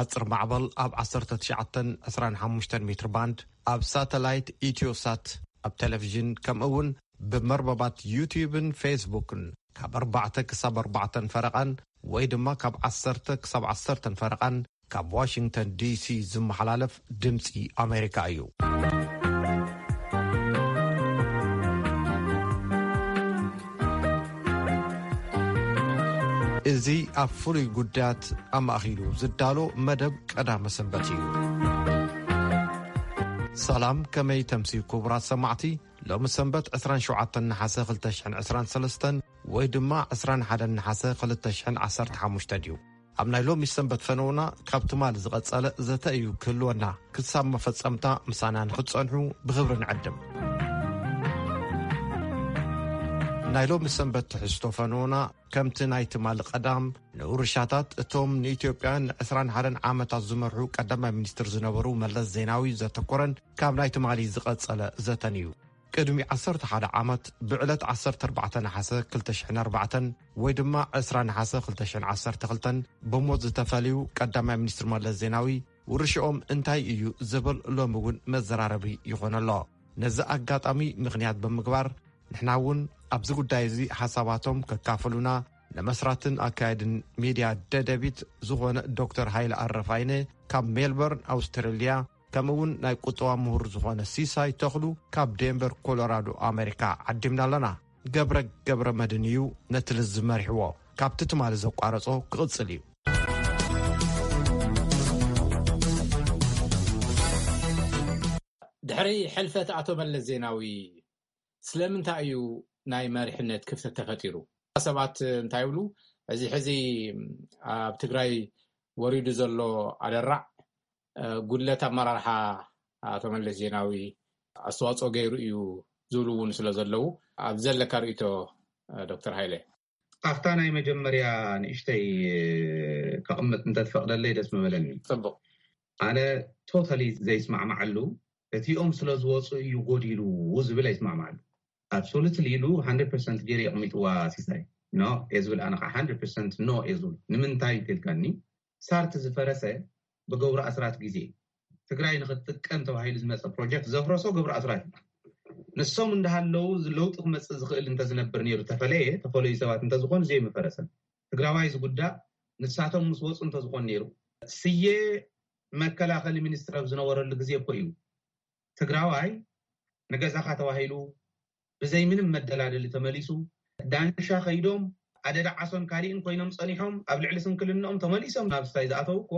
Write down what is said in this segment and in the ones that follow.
ሓጽር ማዕበል ኣብ ዓሰርተ ትሽዓተ ዕስራን ሓሙሽተን ሜትር ባንድ፣ ኣብ ሳተላይት ኢትዮሳት፣ ኣብ ቴሌቪዥን፣ ከምኡ እውን ብመርበባት ዩቲዩብን ፌስቡክን ካብ ኣርባዕተ ክሳብ ኣርባዕተን ፈረቓን ወይ ድማ ካብ ዓሰርተ ክሳብ ዓሰርተን ፈረቓን ካብ ዋሽንግተን ዲሲ ዝመሓላለፍ ድምፂ ኣሜሪካ እዩ። እዚ ኣብ ፍሉይ ጉዳያት ኣማእኪሉ ዝዳሎ መደብ ቀዳመ ሰንበት እዩ። ሰላም፣ ከመይ ተምሲ ክቡራት ሰማዕቲ? ሎሚ ሰንበት ዕስራን ሸውዓተን ነሓሰ ክልተ ሽሕን ዕስራን ሰለስተን ወይ ድማ ዕስራን ሓደን ነሓሰ ክልተ ሽሕን ዓሰርተ ሓሙሽተ ድዩ? ኣብ ናይ ሎሚ ሰንበት ፈነውና ካብ ትማሊ ዝቐጸለ ዘተ እዩ ክህልወና። ክሳብ መፈጸምታ ምሳና ንክትጸንሑ ብኽብሪ ንዕድም። ናይ ሎሚ ሰንበት ትሕዝቶ ፈነውና ከምቲ ናይ ትማሊ ቀዳም ንውርሻታት እቶም ንኢትዮጵያ ንዕስራን ሓደን ዓመታት ዝመርሑ ቀዳማይ ሚኒስትር ዝነበሩ መለስ ዜናዊ ዘተኮረን ካብ ናይ ትማሊ ዝቐጸለ ዘተን እዩ። ቅድሚ ዓሰርተ ሓደ ዓመት ብዕለት ዓሰርተ ኣርባዕተ ነሓሰ ክልተ ሽሕን ኣርባዕተን ወይ ድማ ዕስራ ነሓሰ ክልተ ሽሕን ዓሰርተ ክልተን ብሞት ዝተፈልዩ ቀዳማይ ሚኒስትር መለስ ዜናዊ ውርሽኦም እንታይ እዩ ዝብል ሎሚ እውን መዘራረቢ ይኾን ኣሎ። ነዚ ኣጋጣሚ ምኽንያት ብምግባር ንሕና እውን ኣብዚ ጉዳይ እዚ ሓሳባቶም ከካፍሉና ንመስራትን ኣካየድን ሚድያ ደደቢት ዝኾነ ዶክተር ሃይለ ኣረፋይነ ካብ ሜልበርን ኣውስትራልያ፣ ከምኡ እውን ናይ ቁጠባ ምሁር ዝኾነ ሲሳይ ተኽሉ ካብ ዴንቨር ኮሎራዶ ኣሜሪካ ዓዲምና ኣለና። ገብረ ገብረ መድን እዩ ነቲ ልዝብ መሪሕዎ። ካብቲ ትማሊ ዘቋረጾ ክቕጽል እዩ። ድሕሪ ሕልፈት ኣቶ መለስ ዜናዊ ስለምንታይ እዩ ናይ መሪሕነት ክፍተት ተፈጢሩ? ሰባት እንታይ ይብሉ? እዚ ሕዚ ኣብ ትግራይ ወሪዱ ዘሎ ኣደራዕ፣ እ፣ ጉድለት ኣመራርሓ ኣቶ መለስ ዜናዊ ኣስተዋፅኦ ገይሩ እዩ ዝብሉ እውን ስለ ዘለዉ፣ ኣብ ዘለካ ርእይቶ፣ እ፣ ዶክተር ሃይለ? ኣብታ ናይ መጀመርያ ንእሽተይ ከቕምጥ እንተትፈቕደለይ ደስ ምበለኒ። ጽቡቕ። ኣነ ቶታሊ ዘይስማዕማዓሉ፣ እቲኦም ስለ ዝወፁ እዩ ጎዲሉ ዝብል ኣይስማዕማዓሉ። ኣብሶሉትሊ ኢሉ ሃንድረድ ፐርሰንት ገይሩ የቕሚጥዋ ሲሳይ። ኖ እየ ዝብል፣ ኣነ ከዓ ሃንድረድ ፐርሰንት ኖ እየ ዝብል። ንምንታይ እንተልካኒ፣ ሳርቲ ዝፈረሰ ብገብሩ ኣስራት ግዜ፣ ትግራይ ንክትጥቀም ተባሂሉ ዝመፀ ፕሮጀክት ዘፍረሶ ገብሩ ኣስራት እዩ። ንሶም እንዳሃለዉ ለውጢ ክመፅእ ዝኽእል እንተዝነብር ነይሩ፣ ተፈለየ፣ ተፈለዩ ሰባት እንተዝኾኑ ዘይምፈረሰን። ትግራዋይ ዝጉዳእ ንሳቶም ምስ ወፁ እንተዝኾን ነይሩ። ስየ መከላኸሊ ሚኒስትር ኣብ ዝነበረሉ ግዜ እኮ እዩ ትግራዋይ ንገዛኻ ተባሂሉ ብዘይ ምንም መደላደሊ ተመሊሱ። ዳንሻ ከይዶም ኣደዳ ዓሶን ካሊእን ኮይኖም ጸኒሖም፣ ኣብ ልዕሊ ስንክልንኦም ተመሊሶም ናብ ስታይ ዝኣተው እኮ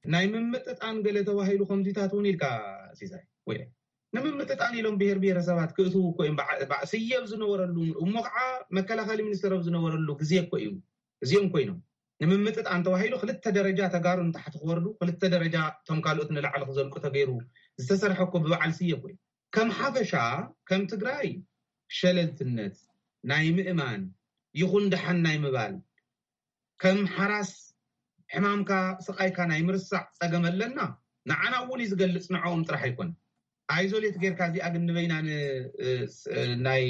ናይ ምምጥጣን ገለ ተባሂሉ ከምዚታት እውን ኢልካ፣ ሲሳይ፣ ወይ ንምምጥጣን ኢሎም ብሄር ብሄረሰባት ክእትዉ እኮ እዮም። በዓ-፣ በዓ-፣ ስየ ኣብ ዝነበረሉ፣ እሞ ከዓ መከላኸሊ ሚኒስትር ኣብ ዝነበረሉ ግዜ እኮ እዩ እዚኦም ኮይኖም። ንምምጥጣን ተባሂሉ ክልተ ደረጃ ተጋሩ ንታሕቲ ክወርዱ፣ ክልተ ደረጃ እቶም ካልኦት ንላዕሊ ክዘልቁ ተገይሩ ዝተሰርሐ እኮ ብበዓል ስየ እኮ እዩ። ከም ሓፈሻ፣ ከም ትግራይ ሸለልትነት ናይ ምእማን ይኹን ደሓን ናይ ምባል፣ ከም ሓራስ ሕማምካ ስቓይካ ናይ ምርሳዕ ጸገም ኣለና። ንዓና እውን እዩ ዝገልጽ፣ ንዕኦም ጥራሕ ኣይኮነን። ኣይዞሌት ጌርካ እዚኣ ግን ንበይና ን-፣ እ፣ ስ-፣ እ፣ ናይ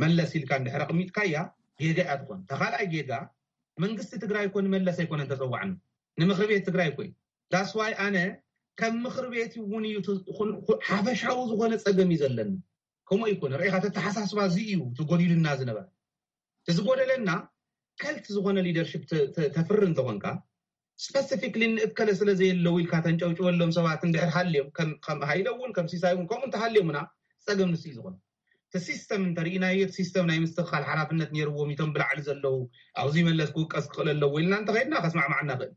መለስ ኢልካ እንድሕር ኣቕሚጥካያ ጌጋ እያ ትኾን። እታ ካልኣይ ጌጋ መንግስቲ ትግራይ እኮ ንመለስ ኣይኮነን ተጸዋዕና፣ ንምኽሪ ቤት ትግራይ እኮ እዩ። ዳስዋይ ኣነ ከም ምኽሪ ቤት እውን እዩ ት-፣ ኹን-፣ ኹ-፣ ሓፈሻዊ ዝኾነ ጸገም እዩ ዘለና። ከምኡ ኣይኮነ ርኢኻ፣ ተተሓሳስባ እዚ እዩ እቲ ጎዲሉና ዝነበረ። እቲ ዝጎደለና ከልት ዝኾነ ሊደርሽፕ ተ-፣ ተ-፣ ተፍሪ እንተኾንካ፣ ስፐሲፊክሊ ንእከለ ስለ ዘየለዉ ኢልካ ተንጨብጭበሎም ሰባት እንድሕር ሃልዮም፣ ከም፣ ከም ሃይለ እውን ከም ሲሳይ እውን ከምኡ እንተሃልዮምና ጸገም ንሱ እዩ ዝኾነ። እቲ ሲስተም እንተርኢናዮ፣ እቲ ሲስተም ናይ ምስትኽኻል ሓላፍነት ነይርዎም እቶም ብላዕሊ ዘለዉ፣ ኣብዚ መለስ ክውቀስ ክኽእል ኣለዎ ኢልና እንተኸይድና ከስማዕማዕና ክእል።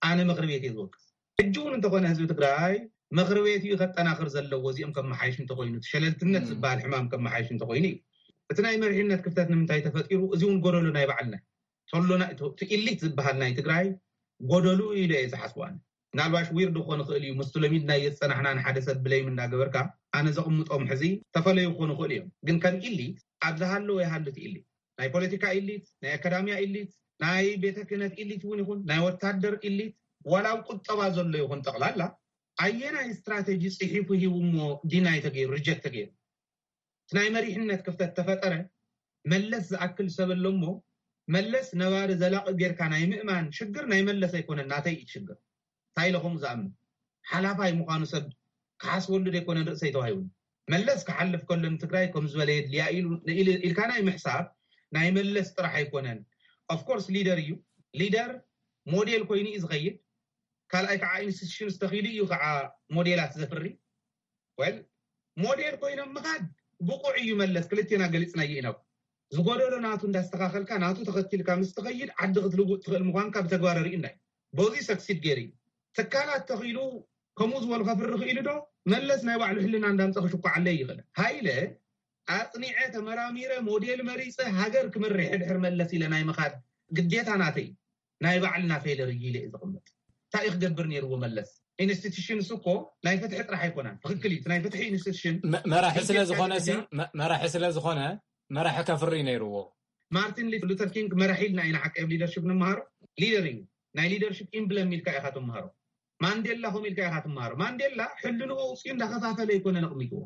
ኣነ ምኽሪ ቤት እየ ዝወቅስ። ሕጂ እውን እንተኾነ ህዝቢ ትግራይ ምኽሪ ቤት እዩ ከጠናኽር ዘለዎ። እዚኦም ከመሓይሽ እንተኾይኑ፣ እቲ ሸለልትነት ዝበሃል ሕማም ከመሓይሽ እንተኾይኑ እዩ። እቲ ናይ መሪሕነት ክፍተት ንምንታይ ተፈጢሩ? እዚ እውን ጎደሎ ናይ ባዕልና እዩ። ተሎና፣ እቲ፣ እቲ ኢሊት ዝበሃል ናይ ትግራይ ጎደሉ እዩ ኢለ እየ ዝሓስቡ ኣነ። ምናልባሽ ዊርድ ክኾን ይኽእል እዩ፣ ምስቲ ለሚድናዮ ዝፀናሕና ንሓደ ሰብ ብለይም እንዳገበርካ ኣነ ዘቕምጦም ሕዚ ተፈለዩ ክኾኑ ይኽእሉ እዮም። ግን ከም ኢሊት ኣብ ዝሃለወ ይሃሉ እቲ ኢሊት። ናይ ፖለቲካ ኢሊት፣ ናይ ኣካዳሚያ ኢሊት፣ ናይ ቤተ ክህነት ኢሊት እውን ይኹን፣ ናይ ወታደር ኢሊት፣ ዋላ ኣብ ቁጠባ ዘሎ ይኹን ጠቕላላ ኣየናይ ስትራቴጂ ጽሒፉ ሂቡ እሞ ዲናይ ተገይሩ፣ ሪጀክት ተገይሩ? እቲ ናይ መሪሕነት ክፍተት ተፈጠረ። መለስ ዝኣክል ሰብ ኣሎ እሞ መለስ ነባሪ ዘላቒ ጌርካ ናይ ምእማን ሽግር ናይ መለስ ኣይኮነን፣ ናተይ እዩ ሽግር። እንታይ ኢለ ከምኡ ዝኣምን? ሓላፋይ ምዃኑ ሰብ ክሓስበሉ ዘይኮነ ርእሰይ ተዋሂቡ። መለስ ክሓልፍ ከሎ ንትግራይ ከም ዝበለ የድልያ ኢሉ ኢልካ ናይ ምሕሳብ ናይ መለስ ጥራሕ ኣይኮነን። ኦፍኮርስ ሊደር እዩ። ሊደር ሞዴል ኮይኑ እዩ ዝኸይድ። ካልኣይ ከዓ ኢንስቲቱሽንስ ተኺሉ እዩ ከዓ ሞዴላት ዘፍሪ። ወል ሞዴል ኮይኖም ምኻድ ብቑዕ እዩ። መለስ ክልቴና ገሊፅናዮ ኢና። ዝጎደሎ ናቱ እንዳስተኻኸልካ ናቱ ተኸቲልካ ምስ ትኸይድ ዓዲ ክትልውጥ ትኽእል ምዃንካ ብተግባር ርኢና እዩ። በዚ ሰክሲድ ገይሩ እዩ። ትካላት ተኺሉ ከምኡ ዝበሉ ከፍሪ ክኢሉ ዶ? መለስ ናይ ባዕሉ ሕልና እንዳምፀ ክሽኳዓለይ ይኽእል። ሃይለ ኣፅኒዐ ተመራሚረ ሞዴል መሪፀ ሃገር ክመርሕ ድሕር መለስ ኢለ ናይ ምኻድ ግዴታ ናተይ ናይ ባዕልና ፌለር እዩ ኢለ እዩ ዝቕምጥ። እንታይ እዩ ክገብር ነይርዎ መለስ? ኢንስቲቱሽንስ እኮ ናይ ፍትሒ ጥራሕ ኣይኮናን። ትኽክል እዩ። ናይ ፍትሒ ኢንስቲቱሽን መራሒ ስለ ዝኾነ ሲ መራሒ ስለ ዝኾነ መራሒ ከፍሪ ነይርዎ። ማርቲን ሉተር ኪንግ መራሒ ኢልና ኢና ሓቂ ኣብ ሊደርሽፕ ንምሃሮ። ሊደር እዩ። ናይ ሊደርሽፕ ኢምብለም ኢልካ ኢኻ ትምሃሮ። ማንዴላ ከም ኢልካ ኢኻ ትምሃሮ። ማንዴላ ሕልንኡ ኣውፅኡ እንዳኸፋፈለ ኣይኮነን ኣቕሚጥዎ።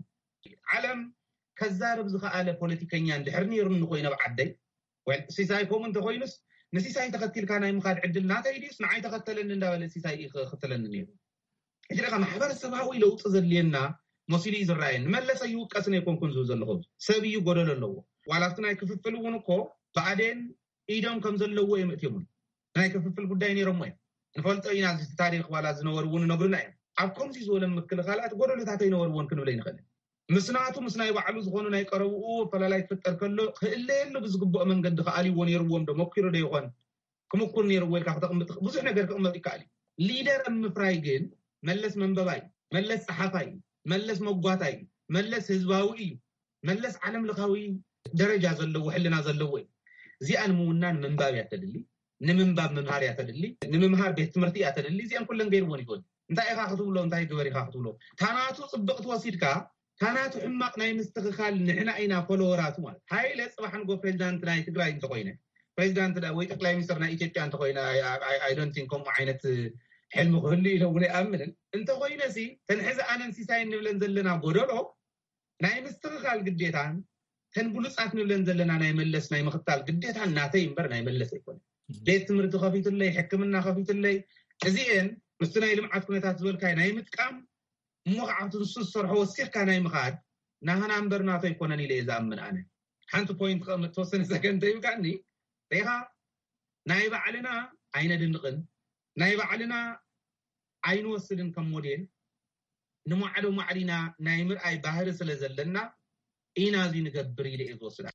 ዓለም ከዛርብ ዝኸኣለ ፖለቲከኛ እንድሕር ነይሩኒ ኮይነ ኣብ ዓደይ ሲሳይ ከምኡ እንተኮይኑስ ንሲሳይ ተኸቲልካ ናይ ምኻድ ዕድል ናተይ ድዩስ ንዓይ ተኸተለኒ እንዳበለ ሲሳይ እዩ ክኽተለኒ ነይሩ። ሕጂ ደኣ ማሕበረሰባዊ ለውጢ ዘድልየና መሲሉ እዩ ዝረኣየኒ። መለስ ኣይውቀስን ኣይኮንኩን ዝብል ዘለኹ ሰብ እዩ ጎደሎ ኣለዎ። ዋላ ኣብቲ ናይ ክፍፍል እውን እኮ ብኣዴን ኢዶም ከም ዘለዎ እዮም እትዮምን ናይ ክፍፍል ጉዳይ ነይሮሞ እዮም። ንፈልጦ ኢና እዚ ታሪክ ዋላ ዝነበሩ እውን ነግሩና እዮም። ኣብ ከምዚ ዝበለ ምክልኻላት ጎደሎታት ኣይነበርዎን ክንብል ኣይንኽእልን። ምስ ናቱ ምስ ናይ ባዕሉ ዝኾኑ ናይ ቀረብኡ ኣፈላላይ ክፍጠር ከሎ ክእለየሉ ብዝግብኦ መንገዲ ክኣልይዎ ነይርዎም ዶ መኪሩ ዶ ይኾን ክምኩር ነይርዎ ኢልካ ክተቕምጥ ብዙሕ ነገር ክቕመጥ ይከኣል እዩ። ሊደር ኣብ ምፍራይ ግን መለስ መንበባይ፣ መለስ ፀሓፋይ፣ መለስ መጓታይ፣ መለስ ህዝባዊ እዩ። መለስ ዓለም ለኻዊ ደረጃ ዘለዎ ሕልና ዘለዎ እዩ። እዚኣ ንምውናን ምንባብ እያ ተድሊ። ንምንባብ ምምሃር እያ ተድሊ። ንምምሃር ቤት ትምህርቲ እያ ተድሊ። እዚኣን ኩለን ገይርዎን ይኽእል። እንታይ ኢኻ ክትብሎ እንታይ ግበር ኢኻ ክትብሎ ታናቱ ፅብቕቲ ወሲድካ ታናቱ ሕማቕ ናይ ምስትኽኻል ንሕና ኢና ፎሎወራቱ ማለት። ሃይለ ፅባሕ ንጎ ፕሬዚዳንት ናይ ትግራይ እንተኮይነ ፕሬዚዳንት ወይ ጠቅላይ ሚኒስትር ናይ ኢትዮጵያ እንተኮይነ ኣይዶንቲን ከምኡ ዓይነት ሕልሚ ክህሉ ኢለ እውን ኣይኣምንን። እንተኮይነ ሲ ተንሕዚ ኣነን ሲሳይ እንብለን ዘለና ጎደሎ ናይ ምስትኽኻል ግዴታን ተን ብሉፃት ንብለን ዘለና ናይ መለስ ናይ ምኽታል ግዴታን ናተይ እምበር ናይ መለስ ኣይኮነ። ቤት ትምህርቲ ከፊትለይ ሕክምና ከፊትለይ እዚኤን ምስቲ ናይ ልምዓት ኩነታት ዝበልካይ ናይ ምጥቃም እሞ ከዓ ኣብቲ ንሱ ዝሰርሖ ወሲኽካ ናይ ምኻድ ናህና እምበር ናቶ ኣይኮነን ኢለ እየ ዝኣምን ኣነ። ሓንቲ ፖይንት ከቕምጥ ተወሰነ ሰከንድ ተይብካኒ ሪኻ ናይ ባዕልና ኣይነድንቕን ናይ ባዕልና ኣይንወስድን ከም ሞዴል ንማዕዶ ማዕሪና ናይ ምርኣይ ባህሪ ስለ ዘለና ኢና እዚ ንገብር ኢለ እየ ዝወስዳ።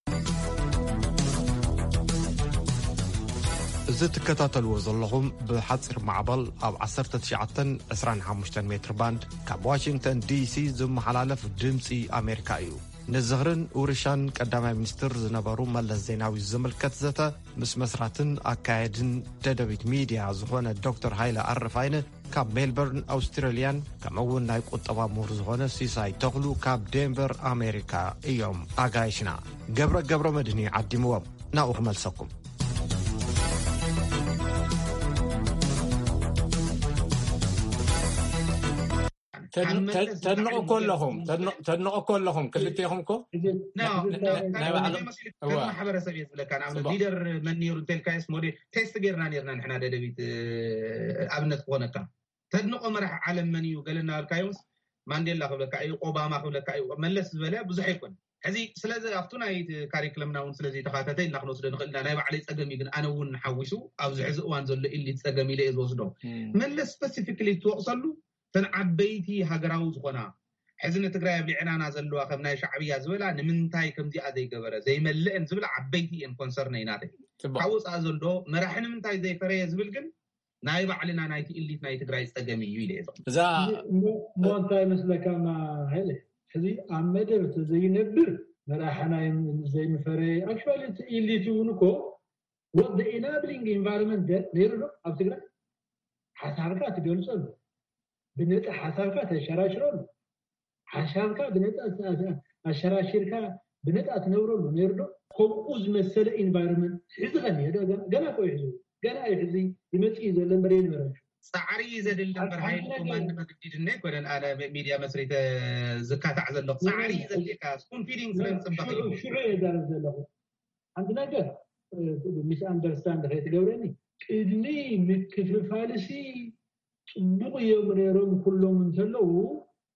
እዚ ትከታተልዎ ዘለኹም ብሓፂር ማዕበል ኣብ ዓሰርተ ትሽዓተን ዕስራን ሓሙሽተን ሜትር ባንድ ካብ ዋሽንግተን ዲሲ ዝመሓላለፍ ድምፂ ኣሜሪካ እዩ። ንዝኽርን ውርሻን ቀዳማይ ሚኒስትር ዝነበሩ መለስ ዜናዊ ዝምልከት ዘተ ምስ መስራትን ኣካየድን ደደቢት ሚድያ ዝኾነ ዶክተር ሃይለ ኣረፋይነ ካብ ሜልበርን ኣውስትራልያን ከምኡ እውን ናይ ቁጠባ ምሁር ዝኾነ ሲሳይ ተኽሉ ካብ ዴንቨር ኣሜሪካ እዮም ኣጋይሽና። ገብረ ገብረ መድህን እዩ ዓዲምዎም። ናብኡ ክመልሰኩም። ተድንቑ እኮ ኣለኹም። ተድንቑ እኮ ኣለኹም ክልቴኹም እኮ። ማሕበረሰብ እየ ዝብለካ። ንኣብነት ሊደር መን ነይሩ እንተልካዮስ ሞዴል ቴስት ጌርና ኔርና ንሕና ደደቢት። ኣብነት ክኾነካ ተድንቆ መራሒ ዓለም መን እዩ ገለ እናበልካዮምስ ማንዴላ ክብለካ እዩ፣ ኦባማ ክብለካ እዩ። መለስ ዝበለ ብዙሕ ኣይኮን። ሕዚ ስለዚ ኣብቱ ናይ ካሪክለምና እውን ስለዘይተካተተ ኢልና ክንወስዶ ንኽእል ኢና። ናይ ባዕለይ ፀገም እዩ ግን ኣነ እውን ሓዊሱ ኣብዚ ሕዚ እዋን ዘሎ ኢሊት ፀገም ኢለ እየ ዝወስዶ። መለስ ስፐሲፊክሊ ትወቕሰሉ እተን ዓበይቲ ሃገራዊ ዝኾና ሕዚ ንትግራይ ኣብ ልዕናና ዘለዋ ከም ናይ ሻዕብያ ዝበላ ንምንታይ ከምዚኣ ዘይገበረ ዘይመልእን ዝብላ ዓበይቲ እየን ኮንሰርነይ ናተይ። ካብ ወፃኢ ዘሎ መራሒ ንምንታይ ዘይፈረየ ዝብል ግን ናይ ባዕልና ናይቲ ኢሊት ናይ ትግራይ ፀገም እዩ ኢለ እየ ዘቕምጥ። እዛ እሞ እንታይ መስለካ ማ ሃይለ ሕዚ ኣብ መደብ ተዘይነብር መራሕና ዘይምፈረየ actually እቲ ኢሊት እውን እኮ what the enabling environment ነይሩ ዶ ኣብ ትግራይ ሓሳብካ ትገልፀሉ ብነፃ ሓሳብካ ተሸራሽረሉ ሓሳብካ ብነፃ ኣሸራሽርካ ብነፃ ትነብረሉ ነይሩ ዶ? ከምኡ ዝመሰለ ኢንቫይሮንመንት ሕዚ ከኒሀ ዶ? ገና እኮ እዩ ሕዚ ገና እዩ ሕዚ ይመፅእ እዩ ዘሎ እምበር የነበረ። ፃዕሪ እዩ ዘድሊ እምበር ሓይሊ ኮማንድ መግዲድ እና ኣይኮነን ኣነ ሚድያ መስሪተ ዝካታዕ ዘለኹ ፃዕሪ እዩ ዘድልየካ ስፑን ፊዲንግ ስለ ዝፅበቕ እዩ። ሽዑ እየ ዛረብ ዘለኹ ሓንቲ ነገር ሚስ ኣንደርስታንድ ከይትገብረኒ ቅድሚ ምክፍፋልሲ ፅቡቕ እዮም ነይሮም ኩሎም እንተለዉ፣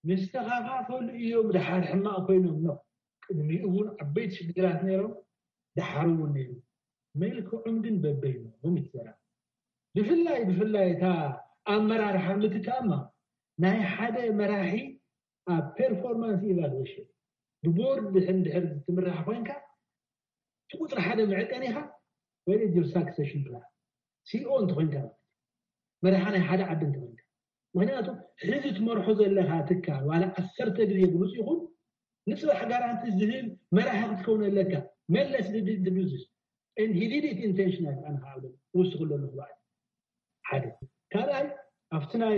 መስተኻኻፈሉ እዮም ድሓር ሕማቕ ኮይኖም ነው። ቅድሚኡ እውን ዓበይቲ ሽግራት ነይሮም፣ ድሓር እውን ነይሩ። መልክዖም ግን በበይኖም ይዘራ። ብፍላይ ብፍላይ እታ ኣመራርሓ ምትካእማ ናይ ሓደ መራሒ ኣብ ፐርፎርማንስ ኢቫሉዌሽን ብቦርድ ድሕን ድሕር ትምራሕ ኮይንካ፣ እቲ ቁፅሪ ሓደ መዕቀኒኻ ወይ ጅር ሳክሴሽን ፕላን ሲኦ እንተኮይንካ፣ መራሓ ናይ ሓደ ዓዲ እንተኮይንካ። ምክንያቱ ሕዚ ትመርሖ ዘለካ ትካል ዋላ ዓሰርተ ግዜ ብሉፅ ይኹን፣ ንፅባሕ ጋራንቲ ዝህብ መራሒ ክትከውን ኣለካ። መለስ ድድድዱዝስ and he did it intentional። ኣነ ከዓ ውስኩ ኣለኹ ባዕል ሓደ ካልኣይ ኣብቲ ናይ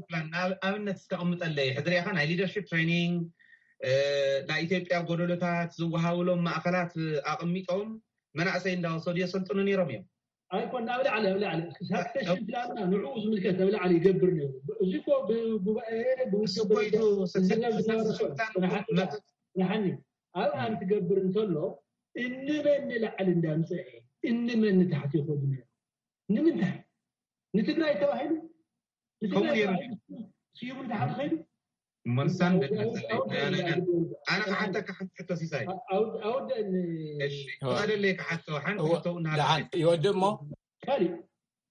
ንኣብነት እስከ ቅምጠለይ ሕድሪያኻ ናይ ሊደርሽፕ ትሬኒንግ ናይ ኢትዮጵያ ጎደሎታት ዝወሃብሎም ማእኸላት ኣቕሚጦም መናእሰይ እንዳወሰዱ የሰልጥኑ ነይሮም እዮም። ኣይኮን ኣብ ላዕሊ ኣብ ላዕሊ ሳክሴሽን ፕላንና ንዕኡ ዝምልከት ኣብ ላዕሊ ይገብር ነይሩ። እዚ ኮ ብጉባኤ ብውድብ ንሓኒ ኣብኣ እንትገብር እንተሎ እንመን ንላዕሊ እንዳምፀአ እንመን ንታሕቲ ይኸዱ ነይሩ። ንምንታይ ንትግራይ ተባሂሉ ንትግራይ ስዩም ንታሕቲ ኸይዱ? ኣነ ክሓተካ ሓንቲ ሕቶ ሲሳይ። ኣወደኒ ተቐደለይ ክሓቶ ሓንቲ ሕቶ ይወድእ እሞ ካሊእ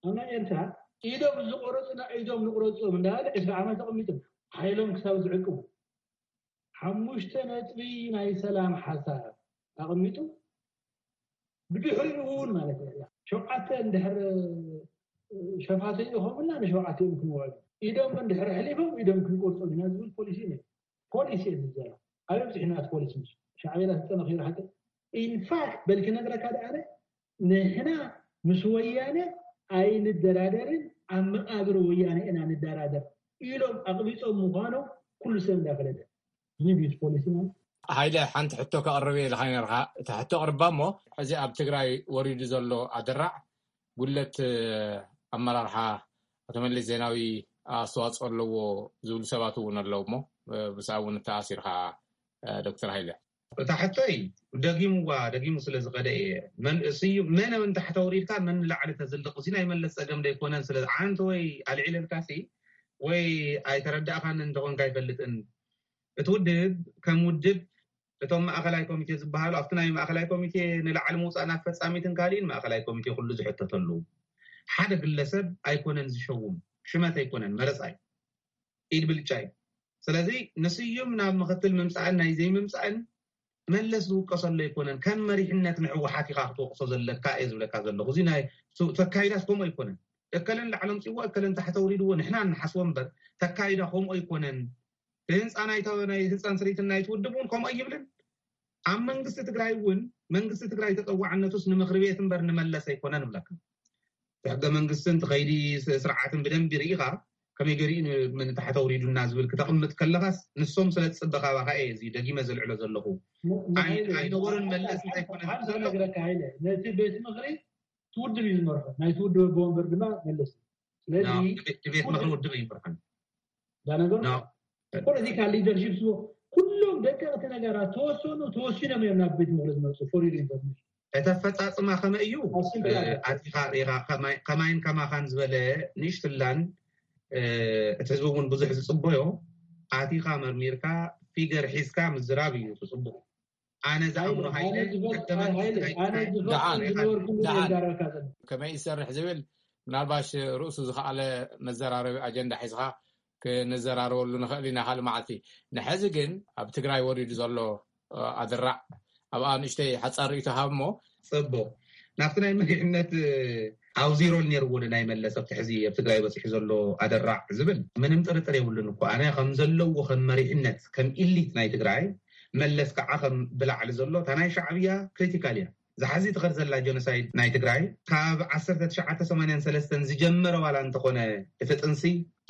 ኣብ ናይ ኤርትራ ኢዶም ዝቆረፁና ኢዶም ንቁረፆም እንዳበለ ዕስራ ዓመት ተቐሚጦም ሓይሎም ክሳብ ዝዕቅቡ ሓሙሽተ ነጥቢ ናይ ሰላም ሓሳብ ኣቐሚጡ ብድሕሪኡ እውን ማለት እዩ ሸውዓተ እንድሕር ሸፋተ ኢኹምና ንሸውዓተ እዮም ክንወዕሉ ኢዶም እንድሕር ኣሕሊፎም ኢዶም ክንቆርፆም ኢና ዝብል ፖሊሲ ነ ፖሊሲ እየ ዝዘራ ኣበይ ብፅሒናት ፖሊሲ ምስ ሻዕቤና ተጠናኺሩ ሓቂ ኢንፋክት በልክ ነግረካ ደኣነ ንሕና ምስ ወያነ ኣይንደራደርን ኣብ መቃብር ወያነ ኢና ንደራደር ኢሎም ኣቕቢፆም ምዃኖም ኩሉ ሰብ እንዳፈለጠ ዝኒቢት ፖሊሲ ማለት ሃይለ ሓንቲ ሕቶ ከቕርብ እየ ኢልካ ነርካ እታ ሕቶ ቅርባ እሞ ሕዚ ኣብ ትግራይ ወሪዱ ዘሎ ኣደራዕ ጉለት ኣመራርሓ ኣቶ መለስ ዜናዊ ኣስተዋፅኦ ኣለዎ ዝብሉ ሰባት እውን ኣለዉ እሞ ብስኣ እውን እተኣሲርካ ዶክተር ሃይለ እታ ሕቶይ ደጊምዋ ደጊሙ ስለ ዝኸደ እየ መን ስዩ መን እውን ታሕተ ውሪድካ መን ንላዕሊ ተዝልቕ እዚ ናይ መለስ ፀገም ደይኮነን ስለ ዓንተ ወይ ኣልዒለልካ ሲ ወይ ኣይተረዳእካን እንተኾንካ ኣይፈልጥን እቲ ውድብ ከም ውድብ እቶም ማእኸላይ ኮሚቴ ዝበሃሉ ኣብቲ ናይ ማእኸላይ ኮሚቴ ንላዕሊ ምውፃእ ናብ ፈፃሚትን ካሊእን ማእኸላይ ኮሚቴ ኩሉ ዝሕተተሉ ሓደ ግለሰብ ኣይኮነን ዝሸውም ሽመት ኣይኮነን መረፃ እዩ ኢድ ብልጫ እዩ ስለዚ ንስዩም ናብ ምክትል ምምፃእን ናይ ዘይምምፃእን መለስ ዝውቀሰሉ ኣይኮነን ከም መሪሕነት ንሕወሓት ኢካ ክትወቅሶ ዘለካ እየ ዝብለካ ዘለኩ እዚ ናይ ተካይዳስ ከምኡ ኣይኮነን እከለን ላዕሎም ፅዎ እከለን ታሕተ ውሪድዎ ንሕና ንሓስቦ እምበር ተካይዳ ከምኡ ኣይኮነን ብህንፃ ናይ ናይ ህንፃን ስሪትን ናይ ትውድብ እውን ከምኡ ኣይብልን ኣብ መንግስቲ ትግራይ እውን መንግስቲ ትግራይ ተፀዋዕነቱስ ንምክሪ ቤት እምበር ንመለስ ኣይኮነን እብለካ እቲ ሕገ መንግስትን ትኸይዲ ስርዓትን ብደንቢ ርኢኻ ከመይ ገሪኡ ንታሕተ ውሪዱና ዝብል ክተቕምጥ ከለኻስ ንሶም ስለ ዝፅበ ካባኻ እየ እዚ ደጊመ ዘልዕሎ ዘለኹ ኣይነበሩን መለስ እንታይ ኮነ ነቲ ቤት ምኽሪ ትውድብ እዩ ዝመርሖ ናይቲ ውድብ ኣቦ ወንበር ድማ መለስ ስለዚ ቤት ምኽሪ ውድብ ኣይመርሖን ዳ ነገሩ ፖለቲካል ሊደርሽፕ ዝቦ ኩሎም ደቀቕቲ ነገራት ተወሰኑ ተወሲኖም እዮም ናብ ቤት ምኽሪ ዝመፁ for your information እቲ ኣፈፃፅማ ከመይ እዩ ኣቲኻ ሪኻ ከማይን ከማኻን ዝበለ ንእሽትላን እቲ ህዝቢ እውን ብዙሕ ዝፅበዮ ኣቲኻ መርሚርካ ፊገር ሒዝካ ምዝራብ እዩ እቲ ፅቡቕ ኣነ ዝኣምኖ ሃይለ ሕገ መንግስቲ ናይ ትግራይ ኣነ ዝፈ- ዝነበርኩ ደሓን። ይዛረብካ ዘሎ ከመይ ይሰርሕ ዝብል ምናልባሽ ርእሱ ዝኸኣለ መዘራረቢ ኣጀንዳ ሒዝኻ ክንዘራረበሉ ንኽእል ኢና ካልእ መዓልቲ። ንሐዚ ግን ኣብ ትግራይ ወሪዱ ዘሎ ኣድራዕ ኣብኣ ንእሽተይ ሓፃር ርእይቶ ሃብ እሞ ፅቡቕ ናብቲ ናይ መሪሕነት ኣውዚሮል ነይርዎ ናይ መለስ ኣብቲ ሕዚ ኣብ ትግራይ በፂሑ ዘሎ ኣደራዕ ዝብል ምንም ጥርጥር የብሉን እኮ ኣነ ከም ዘለዎ ከም መሪሕነት ከም ኢሊት ናይ ትግራይ መለስ ከዓ ከም ብላዕሊ ዘሎ እታ ናይ ሻዕብያ ክሪቲካል እያ ዝሓዚ ትኸድ ዘላ ጀኖሳይድ ናይ ትግራይ ካብ ዓሰርተ ትሽዓተ ሰማንያን ሰለስተን ዝጀመረ ዋላ እንተኾነ እቲ ጥንሲ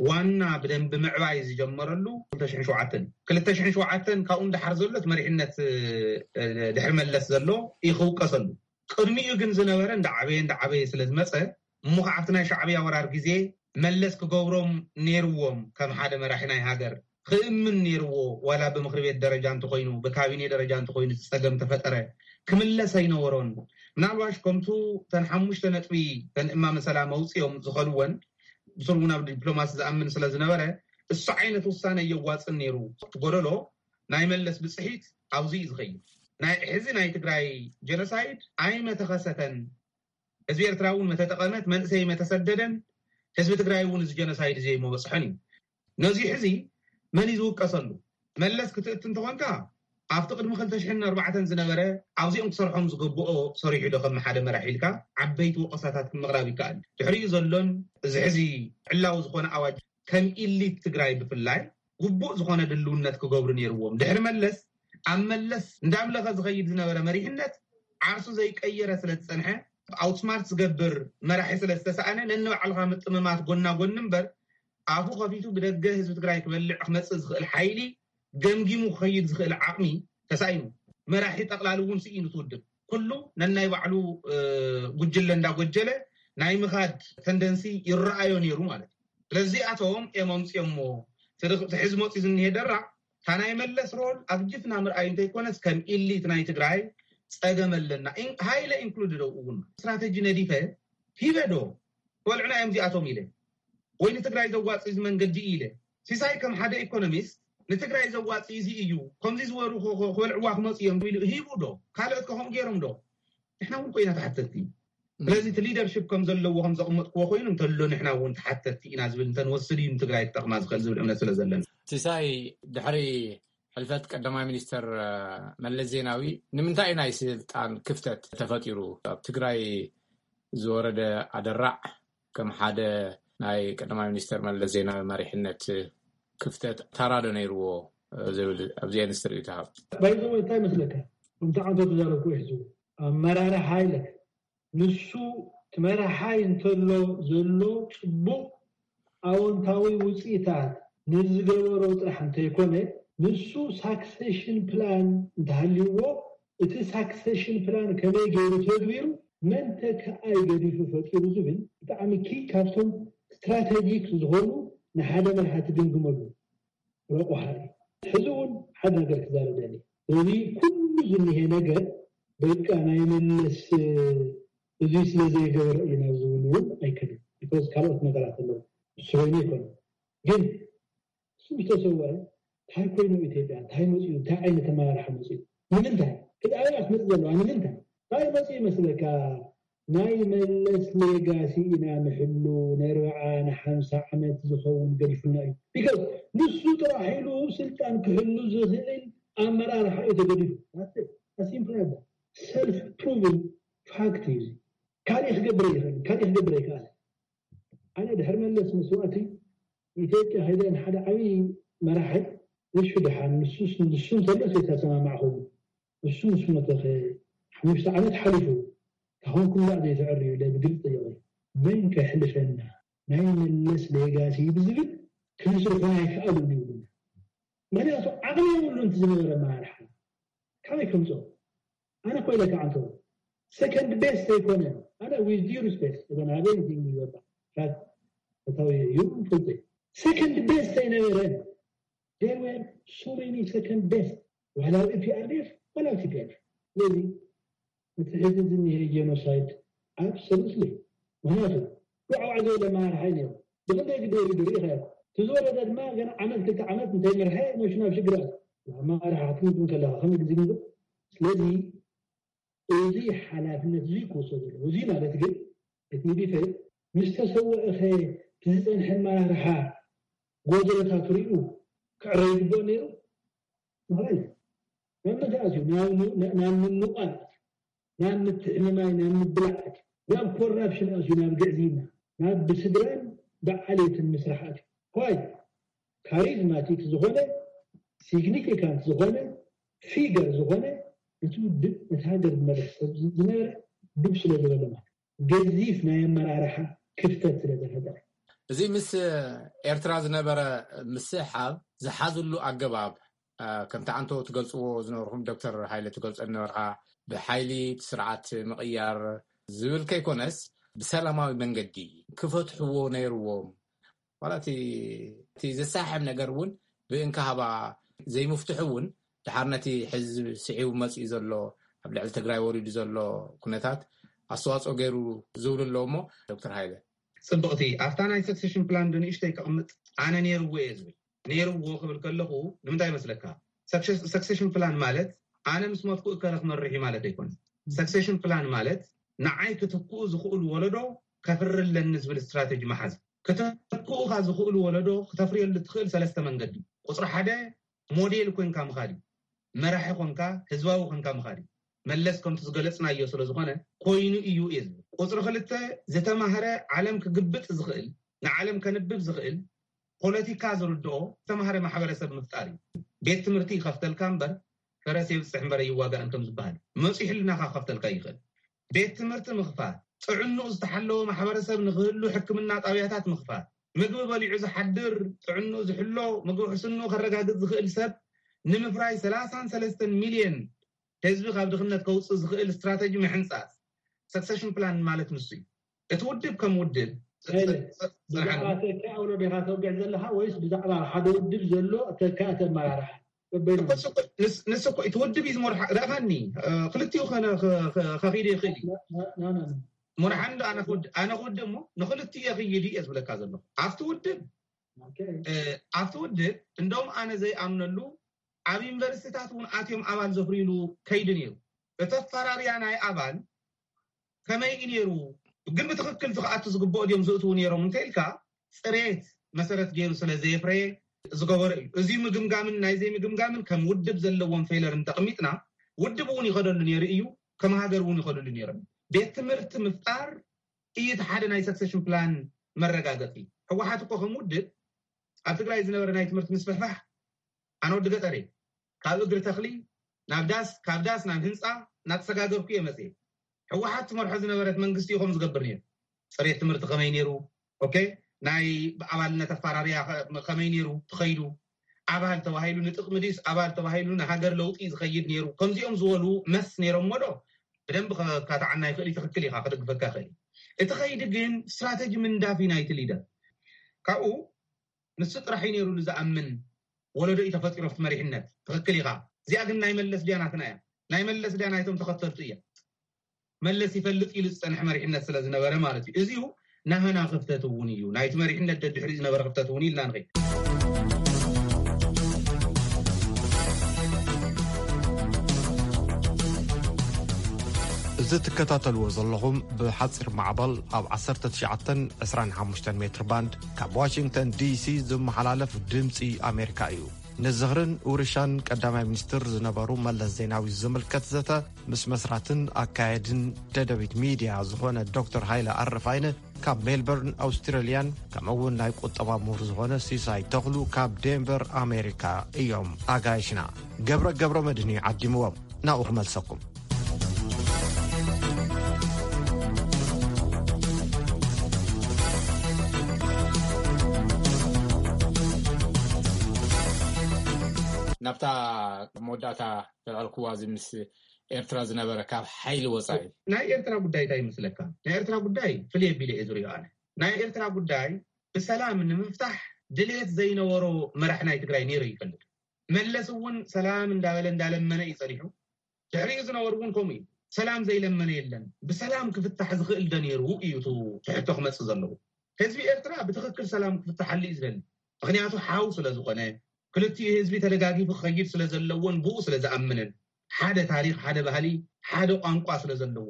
ዋና ብደንቢ ምዕባይ ዝጀመረሉ ክልተ ሽሕን ሸውዓተን ክልተ ሽሕን ሸውዓተን ካብኡ ንደሓር ዘሎ እቲ መሪሕነት ድሕሪ መለስ ዘሎ እዩ ክውቀሰሉ ቅድሚኡ ግን ዝነበረ እንዳዓበየ እንዳዓበየ ስለ ዝመፀ እሞ ከዓ ኣብቲ ናይ ሻዕብያ ወራር ግዜ መለስ ክገብሮም ነይርዎም ከም ሓደ መራሒ ናይ ሃገር ክእምን ነይርዎ ዋላ ብምክሪ ቤት ደረጃ እንተኮይኑ ብካቢኔ ደረጃ እንተኮይኑ እቲ ፀገም ተፈጠረ ክምለስ ኣይነበሮን ምናልባሽ ከምቱ ተን ሓሙሽተ ነጥቢ ተን እማመ ሰላም ኣውፅኦም ዝኸድወን ብስሩ እውን ኣብ ዲፕሎማሲ ዝኣምን ስለ ዝነበረ፣ እሱ ዓይነት ውሳነ የዋፅን ነይሩ። እቲ ጎደሎ ናይ መለስ ብፅሒት ኣብዚ እዩ ዝኸይድ። ናይ ሕዚ ናይ ትግራይ ጀኖሳይድ ኣይመተኸሰተን፣ ህዝቢ ኤርትራ እውን መተጠቐመት፣ መንእሰይ መተሰደደን፣ ህዝቢ ትግራይ እውን እዚ ጀኖሳይድ እዚ ኣይመበፅሖን እዩ። ነዚ ሕዚ መን እዩ ዝውቀሰሉ? መለስ ክትእት እንተኾንካ፣ ኣብቲ ቅድሚ ክልተ ሽሕን ኣርባዕተን ዝነበረ ኣብዚኦም ክሰርሖም ዝገብኦ ሰሪሑ ዶ ከም ሓደ መራሒ ኢልካ ዓበይቲ ወቀሳታት ምቕራብ ይከኣል። ድሕሪኡ ዘሎን እዚ ሕዚ ዕላዊ ዝኾነ ኣዋጅ ከም ኢሊት ትግራይ ብፍላይ ግቡእ ዝኾነ ድልውነት ክገብሩ ነይርዎም። ድሕሪ መለስ ኣብ መለስ እንዳምለኸ ዝኸይድ ዝነበረ መሪሕነት ዓርሱ ዘይቀየረ ስለ ዝጸንሐ፣ ኣውትስማርት ዝገብር መራሒ ስለ ዝተሰኣነ፣ ነንባዕልኻ ምጥምማት ጎና ጎኒ እምበር፣ ኣፉ ከፊቱ ብደገ ህዝቢ ትግራይ ክበልዕ ክመጽእ ዝኽእል ሓይሊ ገምጊሙ ክኸይድ ዝኽእል ዓቕሚ ተሳኢኑ። መራሒ ጠቕላሊ እውን ስኢኑ ትውድብ። ኩሉ ነናይ ባዕሉ ጉጅለ እንዳጎጀለ ናይ ምኻድ ተንደንሲ ይረኣዮ ነይሩ ማለት እዩ። ስለዚኣቶም እዮም ኣምፅኦሞ። እቲ ሕዚ መፂኡ ዝኒሄ ደራዕ፣ እታ ናይ መለስ ሮል ኣብ ጅፍና ምርኣይ እንተይኮነስ፣ ከም ኢሊት ናይ ትግራይ ጸገም ኣለና፣ ሃይለ ኢንክሉድ ዶ እውን ስትራተጂ ነዲፈ ሂበ ዶ? ክበልዑና እዮም እዚኣቶም ኢለ፣ ወይ ንትግራይ ዘዋፅእ እዚ መንገዲ ኢለ። ሲሳይ ከም ሓደ ኢኮኖሚስት፣ ንትግራይ ዘዋፅእ እዚ እዩ፣ ከምዚ ዝበሩ ክበልዕዋ ክመፁ እዮም ኢሉ ሂቡ ዶ? ካልኦት ከምኡ ገይሮም ዶ? ንሕና እውን ኮይና ተሓተቲ። ስለዚ እቲ ሊደርሽፕ ከም ዘለዎ ከም ዘቕመጥክዎ ኮይኑ እንተሎ፣ ንሕና እውን ተሓተቲ ኢና ዝብል እንተንወስድ እዩ ንትግራይ ክጠቕማ ዝኽእል ዝብል እምነት ስለ ዘለና። ሲሳይ፣ ድሕሪ ሕልፈት ቀዳማይ ሚኒስተር መለስ ዜናዊ ንምንታይ ናይ ስልጣን ክፍተት ተፈጢሩ? ኣብ ትግራይ ዝወረደ ኣደራዕ ከም ሓደ ናይ ቀዳማይ ሚኒስተር መለስ ዜናዊ መሪሕነት ክፍተት ታራዶ ነይርዎ ዝብል ኣብዚ ንስትሪኡ ተሃብ? ባይዘወ እንታይ መስለካ? ከምቲ ዓንቶ ተዛረብኩ ሕዚ ኣመራርሓ ኢለ ንሱ ትመራሓይ እንተሎ ዘሎ ጽቡቕ ኣወንታዊ ውጽኢታት ንዝገበሮ ጥራሕ እንተይኮነ፣ ንሱ ሳክሴሽን ፕላን እንተሃልይዎ፣ እቲ ሳክሴሽን ፕላን ከመይ ገይሩ ተግቢሩ፣ መን ተከኣይ ገዲፉ ፈጢሩ ዝብል ብጣዕሚ ኪ ካብቶም ስትራቴጂክ ዝኾኑ ንሓደ መራሒ ትግምግመሉ ረቑሓ እዩ። ሕዚ እውን ሓደ ነገር ክዛረብ ደሊ። እዚ ኩሉ ዝኒሄ ነገር በቃ ናይ መለስ እዚ ስለ ዘይገበረ እዩ ናብ ዝብል እውን ኣይከድን። ቢኮዝ ካልኦት ነገራት ኣለዉ። እሱ ኮይኑ ኣይኮነ። ግን እሱ ዝተሰወረ እንታይ ኮይኑ ኢትዮጵያ? እንታይ መፅኡ? እንታይ ዓይነት ኣመራርሓ መፅኡ? ንምንታይ? ክድኣያ ክትመፅእ ዘለዋ ንምንታይ? እንታይ መፅኡ ይመስለካ? ናይ መለስ ሌጋሲ ኢና ንሕሉ። ንኣርብዓ ንሓምሳ ዓመት ዝኸውን ገዲፉና እዩ። ቢካዝ ንሱ ጥራሕ ኢሉ ስልጣን ክሕሉ ዝኽእል ኣመራርሓ እዩ ተገዲፉ። ሲምፕል ሰልፍ ፕሩቭን ፋክት እዩ። ካሊእ ክገብር ይኽእል፣ ካሊእ ክገብር ኣይከኣል። ኣነ ድሕሪ መለስ መስዋእቲ ኢትዮጵያ ከይደ ንሓደ ዓብዪ መራሒ እሹ ድሓን ንሱስ ንሱ እንተሎ ዘይተሰማማዕኹም እሱ ምስ ሞተ ሓሙሽተ ዓመት ሓሊፉ ካኹንኩም ላዕ ዘይትዕርዩ ኢለ ብግልፂ ጠየቑ። መን ከሕልፈና ናይ መለስ ሌጋሲ ብዝብል ክንስርሑ ኣይከኣሉን ይብሉና። ምክንያቱ ዓቕሚ የብሉን እቲ ዝነበረ ኣመራርሓ ካበይ ከምፅኦ? ኣነ ኮይለ ከዓንቶ ሰከንድ ቤስት ኣይኮነን። ኣነ with due respect እዘን ሃበይ ንቲንግ ይገባ ፈታዊ እዩ ፍልጠይ ሰከንድ ቤስት ኣይነበረን። There were so many second best ዋላ ፒኣርዲኤፍ ዋላ ቲፒኤልኤፍ። ስለዚ እቲ ሕዚ ዝኒሄ ጀኖሳይድ ኣብሶሉትሊ ምክንያቱ ዋዕዋዕ ዝበለ መሃርሓይ ነይሩ። ብክንደይ ግዜ እዩ ድርኢ ከ እቲ ዝወረደ ድማ ገና ዓመት ክልተ ዓመት እንተይመርሐ ነሹ ናብ ሽግር ኣትዩ። ኣመራርሓ ክትምግብ ከለካ ከመይ ግዜ ግንግብ? ስለዚ እዚ ሓላፍነት እዚ ክወስዶ ዘለዎ እዚ ማለት ግን እቲ ሚዲፈ ምስ ተሰወእኸ እቲ ዝፀንሐ ኣመራርሓ ጎደለታት ሪኡ ክዕረ ይግብኦ ነይሩ። ምክንያቱ ናብ ምንታይ ኣትዩ ናብ ምንቋል፣ ናብ ምትሕምማይ፣ ናብ ምብላዕ ኣትዩ፣ ናብ ኮራፕሽን ኣትዩ፣ ናብ ግዕዝይና፣ ናብ ብስድራን ብዓሌትን ምስራሕ ኣትዩ። ኳይ ካሪዝማቲክ ዝኾነ ሲግኒፊካንት ዝኾነ ፊገር ዝኾነ እቲ ውድብ እቲ ሃገር ዝመርሕ ሰብ ዝነበረ ድብ ስለ ዝበለ ማለት ገዚፍ ናይ ኣመራርሓ ክፍተት ስለ ዘፈጠረ። እዚ ምስ ኤርትራ ዝነበረ ምስሕሓብ ዝሓዝሉ ኣገባብ ከምቲ ዓንቶ ትገልፅዎ ዝነበርኩም ዶክተር ሃይለ ትገልፆ ዝነበርካ ብሓይሊ ስርዓት ምቕያር ዝብል ከይኮነስ ብሰላማዊ መንገዲ ክፈትሕዎ ነይርዎም። ዋላ እቲ ዘሳሕብ ነገር እውን ብእንካሃባ ዘይምፍትሑ እውን ድሓር ነቲ ሕዚ ስዒቡ መፅኡ ዘሎ ኣብ ልዕሊ ትግራይ ወሪዱ ዘሎ ኩነታት ኣስተዋፅኦ ገይሩ ዝብሉ ኣለዎ። እሞ ዶክተር ሃይለ ጽብቕቲ፣ ኣብታ ናይ ሰክሴሽን ፕላን ንእሽተይ ከቕምጥ፣ ኣነ ነይርዎ እየ ዝብል። ነይርዎ ክብል ከለኹ ንምንታይ ይመስለካ? ሰክሴሽን ፕላን ማለት ኣነ ምስ ሞትኩ እከለ ክመርሕ እዩ ማለት ኣይኮነን። ሰክሴሽን ፕላን ማለት ንዓይ ክትክኡ ዝኽእሉ ወለዶ ከፍሪ ኣለኒ ዝብል ስትራተጂ መሓዝ። ክትክኡኻ ዝኽእሉ ወለዶ ክተፍርየሉ ትኽእል ሰለስተ መንገዲ። ቁፅሪ ሓደ፣ ሞዴል ኮንካ ምኻድ እዩ። መራሒ ኮንካ፣ ህዝባዊ ኮንካ ምኻድ እዩ። መለስ ከምቲ ዝገለፅናዮ ስለ ዝኾነ ኮይኑ እዩ እየ ዝብል። ቁፅሪ ክልተ፣ ዝተማህረ፣ ዓለም ክግብጥ ዝኽእል፣ ንዓለም ከንብብ ዝኽእል፣ ፖለቲካ ዝርድኦ ዝተማህረ ማሕበረሰብ ምፍጣር እዩ። ቤት ትምህርቲ ይኸፍተልካ እምበር ፈረስ የብፅሕ እምበር ኣይዋጋእን ከም ዝበሃል፣ መፂኡ ሕልናኻ ክኸፍተልካ ይኽእል። ቤት ትምህርቲ ምኽፋት፣ ጥዕንኡ ዝተሓለወ ማሕበረሰብ ንክህሉ ሕክምና ጣብያታት ምኽፋት፣ ምግቢ በሊዑ ዝሓድር፣ ጥዕንኡ ዝሕሎ፣ ምግቢ ሕስንኡ ከረጋግፅ ዝኽእል ሰብ ንምፍራይ ሰላሳን ሰለስተን ሚልዮን ህዝቢ ካብ ድኽነት ከውፅእ ዝኽእል ስትራተጂ ምሕንፃፅ። ሰክሰሽን ፕላን ማለት ንሱ እዩ። እቲ ውድብ ከም ውድብ ጸ- ጸ- ጸ- ጽንሓን ብዛዕባ ተካ ወለዶ ኢኻ ተወግዕ ዘለኻ ወይስ ብዛዕባ ሓደ ውድብ ዘሎ ተካ ተመራርሓ? በበይኑ ንሱ እኮ፣ ንስ- ንሱ እኮ እቲ ውድብ እዩ ዝመርሖ። ርኣኻኒ፣ እ፣ ክልቲኡ ከነ- ከ- ከ- ከኺድ ይኽእል እዩ። ና- ና- ና- ና። መርሓ እንዶ ኣነ ክውድ- ኣነ ክውድእ እሞ ንክልቲኡ የኽይድ እየ ዝብለካ ዘለኹ። ኣብቲ ውድብ ኦኬ። እ፣ ኣብቲ ውድብ እንደውም ኣነ ዘይኣምነሉ ኣብ ዩኒቨርሲቲታት እውን ኣትዮም ኣባል ዘፍርዩሉ ከይዲ ነይሩ። እቲ ኣፈራርያ ናይ ኣባል ከመይ እዩ ነይሩ? ግን ብትኽክል እቲ ክኣቱ ዝግብኦ ድዮም ዝእትዉ ነይሮም እንተ ኢልካ፣ ፅሬት መሰረት ገይሩ ስለ ዘየፍረየ ዝገበሮ እዩ። እዚ ምግምጋምን ናይ ዘይምግምጋምን ከም ውድብ ዘለዎም ፌለር እንተቕሚጥና፣ ውድብ እውን ይኸደሉ ነይሩ እዩ፣ ከም ሃገር እውን ይኸደሉ ነይሮም። ቤት ትምህርቲ ምፍጣር እዩ እቲ ሓደ ናይ ሰክሰሽን ፕላን መረጋገፂ። ህወሓት እኮ ከም ውድብ ኣብ ትግራይ ዝነበረ ናይ ትምህርቲ ምስፍሕፋሕ፣ ኣነ ወዲ ገጠር እየ። ካብ እግሪ ተኽሊ ናብ ዳስ፣ ካብ ዳስ ናብ ህንፃ እናተሰጋገርኩ እየ መፅየ። ህወሓት ትመርሖ ዝነበረት መንግስቲ እዩ ከም ዝገብር ነይሩ። ፅሬት ትምህርቲ ከመይ ነይሩ? ኦኬ፣ ናይ ኣባልነት ኣፈራርያ ከ- ከመይ ነይሩ ትኸይዱ? ኣባል ተባሂሉ ንጥቕሚ ድዩስ ኣባል ተባሂሉ ንሃገር ለውጢ ዝኸይድ ነይሩ? ከምዚኦም ዝበሉ መስ ነይሮም ዶ? ብደንብ ከካትዓና ይኽእል እዩ። ትኽክል ኢኻ፣ ክድግፈካ ይኽእል እዩ። እቲ ኸይዲ ግን ስትራተጂ ምንዳፍ እዩ ናይቲ ሊደር። ካብኡ ንሱ ጥራሕ እዩ ነይሩ ዝኣምን ወለዶ እዩ ተፈጢሩ ኣብቲ መሪሕነት። ትኽክል ኢኻ። እዚኣ ግን ናይ መለስ ድያ ናትና እያ? ናይ መለስ ድያ ናይቶም ተኸተልቱ እያ? መለስ ይፈልጥ ኢሉ ዝፀንሐ መሪሕነት ስለ ዝነበረ ማለት እዩ። እዚኡ ናህና ክፍተት እውን እዩ፣ ናይቲ መሪሕነት ደድሕሪኡ ዝነበረ ክፍተት እውን ኢልና ንኸይድ። እዚ ትከታተልዎ ዘለኹም ብሓፂር ማዕበል ኣብ ዓሰርተ ትሽዓተን ዕስራን ሓሙሽተን ሜትር ባንድ ካብ ዋሽንግተን ዲሲ ዝመሓላለፍ ድምፂ ኣሜሪካ እዩ። ንዝኽርን ውርሻን ቀዳማይ ሚኒስትር ዝነበሩ መለስ ዜናዊ ዝምልከት ዘተ ምስ መስራትን ኣካየድን ደደቢት ሚድያ ዝኾነ ዶክተር ሃይለ ኣረፋይነ ካብ ሜልበርን ኣውስትራልያን፣ ከምኡ እውን ናይ ቁጠባ ምሁር ዝኾነ ሲሳይ ተኽሉ ካብ ዴንቨር ኣሜሪካ እዮም ኣጋይሽና። ገብረ ገብረ መድህን እዩ ዓዲምዎም። ናብኡ ክመልሰኩም። ናብታ መወዳእታ ዘልዐልክዋ፣ እዚ ምስ ኤርትራ ዝነበረ ካብ ሓይሊ ወፃኢ። ናይ ኤርትራ ጉዳይ እንታይ ይመስለካ? ናይ ኤርትራ ጉዳይ ፍልይ ኣቢለ እየ ዝሪኦ ኣነ። ናይ ኤርትራ ጉዳይ ብሰላም ንምፍታሕ ድልየት ዘይነበሮ መራሕ ናይ ትግራይ ነይሩ ይፈልጥ። መለስ እውን ሰላም እንዳበለ እንዳለመነ እዩ ጸኒሑ። ድሕሪኡ ዝነበሩ እውን ከምኡ እዩ። ሰላም ዘይለመነ የለን። ብሰላም ክፍታሕ ዝኽእል ዶ ነይሩ እዩ እቲ ትሕቶ ክመጽእ ዘለዎ። ህዝቢ ኤርትራ ብትኽክል ሰላም ክፍታሓሉ እዩ ዝደሊ። ምኽንያቱ ሓው ስለ ዝኾነ፣ ክልቲኡ ህዝቢ ተደጋጊፉ ክኸይድ ስለ ዘለዎን ብኡ ስለ ዝኣምንን፣ ሓደ ታሪኽ፣ ሓደ ባህሊ፣ ሓደ ቋንቋ ስለ ዘለዎ።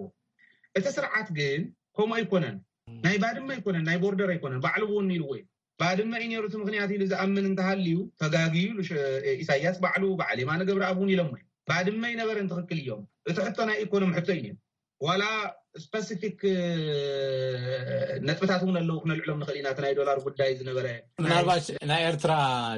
እቲ ስርዓት ግን ከምኡ ኣይኮነን። ናይ ባድመ ኣይኮነን፣ ናይ ቦርደር ኣይኮነን። ባዕሉ እውን ኢልዎ እዩ። ባድመ እዩ ነይሩ እቲ ምኽንያት ኢሉ ዝኣምን እንተሃልዩ፣ ተጋግዩ ኢሉ ሸ- ኢሳያስ ባዕሉ፣ በዓል የማነ ገብረኣብ እውን ኢሎሞ እዮም። ባድመ ኣይነበረን፣ ትኽክል እዮም። እቲ ሕቶ ናይ ኢኮኖሚ ሕቶ እዩ ነይሩ። ዋላ ስፐሲፊክ ነጥብታት እውን ኣለዉ፣ ክነልዕሎም ንኽእል ኢና። እቲ ናይ ዶላር ጉዳይ ዝነበረ ናይ ምናልባት ናይ ኤርትራ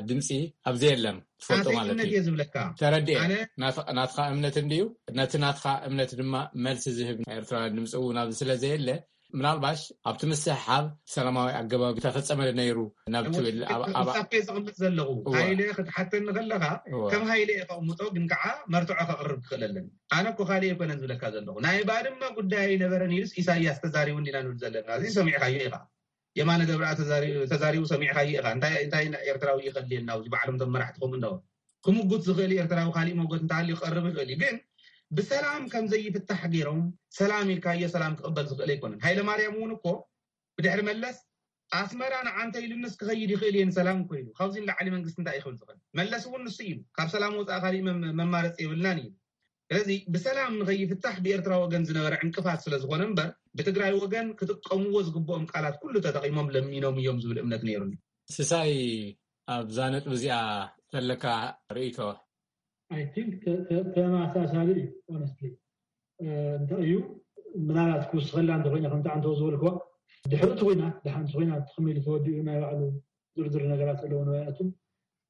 ድምፂ ኣብዚ የለን፣ ትፈልጦ ናተይ ማለት እምነት እዩ። እየ ዝብለካ። ተረዲኤ። ኣነ ናትኻ ናትኻ እምነት እንድዩ፣ ነቲ ናትኻ እምነት ድማ መልሲ ዝህብ ናይ ኤርትራ ድምፂ እውን ኣብዚ ስለ ዘየለ፣ ምናልባሽ ኣብቲ ምስሕሓብ ሰላማዊ ኣገባብ ተፈጸመ ነይሩ ናብ ትብል ኣብ- ኣብ- ምሳከ ዘቕምጥ ዘለኹ እወ። ሃይለ ክትሓተኒ ከለኻ እወ። ከም ሃይለ እየ ከቕምጦ፣ ግን ከዓ መርትዖ ከቕርብ ክኽእል ኣለኒ። ኣነ እኮ ካልእ ኣይኮነን ዝብለካ ዘለኹ። ናይ ባድመ ጉዳይ ኣይነበረን ኢሉስ ኢሳያስ ተዛሪቡ እንዲና ንብል ዘለና። እዚ ሰሚዕካዮ ኢኻ። የማነ ገብረኣብ ተዛሪ- ተዛሪቡ ሰሚዕካዮ ኢኻ። እንታይ እንታይ ኤርትራዊ ይኸልየና? እዚ ባዕሎም ቶም መራሕቲ ከምኡ እንዳበሉ ክምጉት ዝኽእል ኤርትራዊ ካሊእ መጎት እንተሃልዩ ክቐርብ ይኽእል እዩ። ግን ብሰላም ከም ዘይፍታሕ ገይሮም ሰላም ኢልካዮ ሰላም ክቕበል ዝኽእል ኣይኮነን። ሃይለ ማርያም እውን እኮ ብድሕሪ መለስ ኣስመራ ንዓንተ ኢሉንስ ክኸይድ ይኽእል እየ ንሰላም እኮ ኢሉ። ካብዚ ንላዕሊ መንግስቲ እንታይ ይኽእል ዝኽእል? መለስ እውን ንሱ ኢሉ፣ ካብ ሰላም ወፃእ ካሊእ መም- መማረፂ የብልናን እዩ። ስለዚ ብሰላም ንኸይፍታሕ ብኤርትራ ወገን ዝነበረ ዕንቅፋት ስለ ዝኾነ እምበር፣ ብትግራይ ወገን ክጥቀምዎ ዝግብኦም ቃላት ኩሉ ተጠቒሞም ለሚኖም እዮም ዝብል እምነት ነይሩኒ። ስሳይ፣ ኣብዛ ነጥቢ እዚኣ ዘለካ ርእይቶ? I think ተመሳሳሊ እዩ። Honestly እንታይ እዩ፣ ምናልባት ክውስኸላ እንተኮይነ ከምቲ ዓንተው ዝበልክዋ፣ ድሕሪ እቲ ኩናት ድሓንቲ ኩናት ከመይ ኢሉ ተወዲኡ ናይ ባዕሉ ዝርዝር ነገራት ኣለዎ ንባይኣቱ።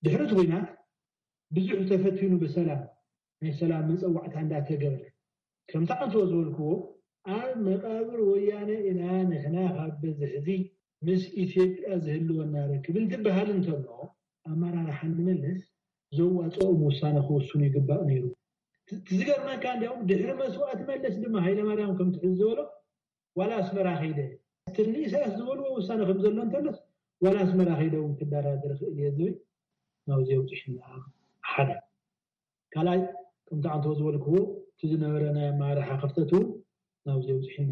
ድሕሪ እቲ ኩናት ብዙሕ ተፈቲኑ ብሰላም ናይ ሰላም መፀዋዕታ እንዳተገበረ፣ ከምቲ ዓንተው ዝበልክዎ፣ ኣብ መቃብር ወያነ ኢና ንሕና ካብ በዚ ሕዚ ምስ ኢትዮጵያ ዝህልወና ርክብ እንትበሃል እንተሎ፣ ኣመራርሓ ንመለስ ዘዋፅኦም ውሳነ ክውስኑ ይግባእ ነይሩ። እቲ ዝገርመካ እንዲያውም ድሕሪ መስዋእቲ መለስ ድማ ሃይለማርያም ከምቲ ሕዚ ዝበሎ ዋላ ኣስመራ ከይደ፣ እቲ ንኢሳያስ ዝበልዎ ውሳነ ከም ዘሎ እንተሎስ ዋላ ኣስመራ ከይደ እውን ክደራደር ክእል እየ ዝብል ናብዚ የብፅሕና። ሓደ ካልኣይ ከምቲ ዓንተው ዝበልክዎ እቲ ዝነበረ ናይ ኣመራርሓ ክፍተት እውን ናብዚ የብፅሕና።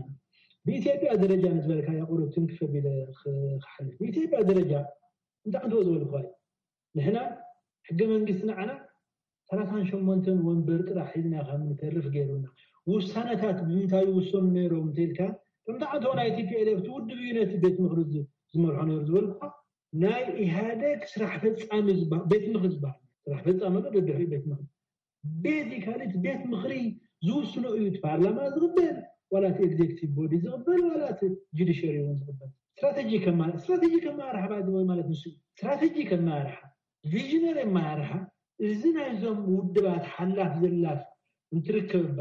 ብኢትዮጵያ ደረጃ ንዝበልካዮ ቁሩብ ትንክፍ ኣቢለ ክሓልፍ፣ ብኢትዮጵያ ደረጃ ከምቲ ዓንተው ዝበልክዋ እዩ። ንሕና ሕገ መንግስቲ ንዓና ሰላሳን ሸሞንተን ወንበር ጥራሕ ሒዝና ከም ንተርፍ ገይሩና። ውሳነታት ብምንታይ ይውሰኑ ነይሮም እንተኢልካ፣ ከምቲ ዓንተው ናይ ቲ ፒ ኤል ኤፍ እቲ ውድብ እዩ ነቲ ቤት ምኽሪ ዝ- ዝመርሖ ነይሩ ዝበልኩኻ፣ ናይ ኢህኣደግ ስራሕ ፈፃሚ ዝበሃል፣ ቤት ምኽሪ ዝበሃል፣ ስራሕ ፈፃሚ ኣሎ ደድሕሪ ቤት ምኽሪ። ቤዚካሊ እቲ ቤት ምኽሪ ዝውስኖ እዩ፣ እቲ ፓርላማ ዝቕበል ዋላ እቲ ኤግዜክቲቭ ቦዲ ዝቕበል ዋላ እቲ ጁዲሽሪ እውን ዝቕበል። ስትራቴጂ ከማ- ስትራቴጂ ከመራርሓ ባይ ወይ ማለት ንሱ እዩ። ስትራቴጂ ከመራርሓ፣ ቪዥነሪ ኣመራርሓ፣ እዚ ናይዞም ውድባት ሓላፍ ዘላፍ እንትርከብ እባ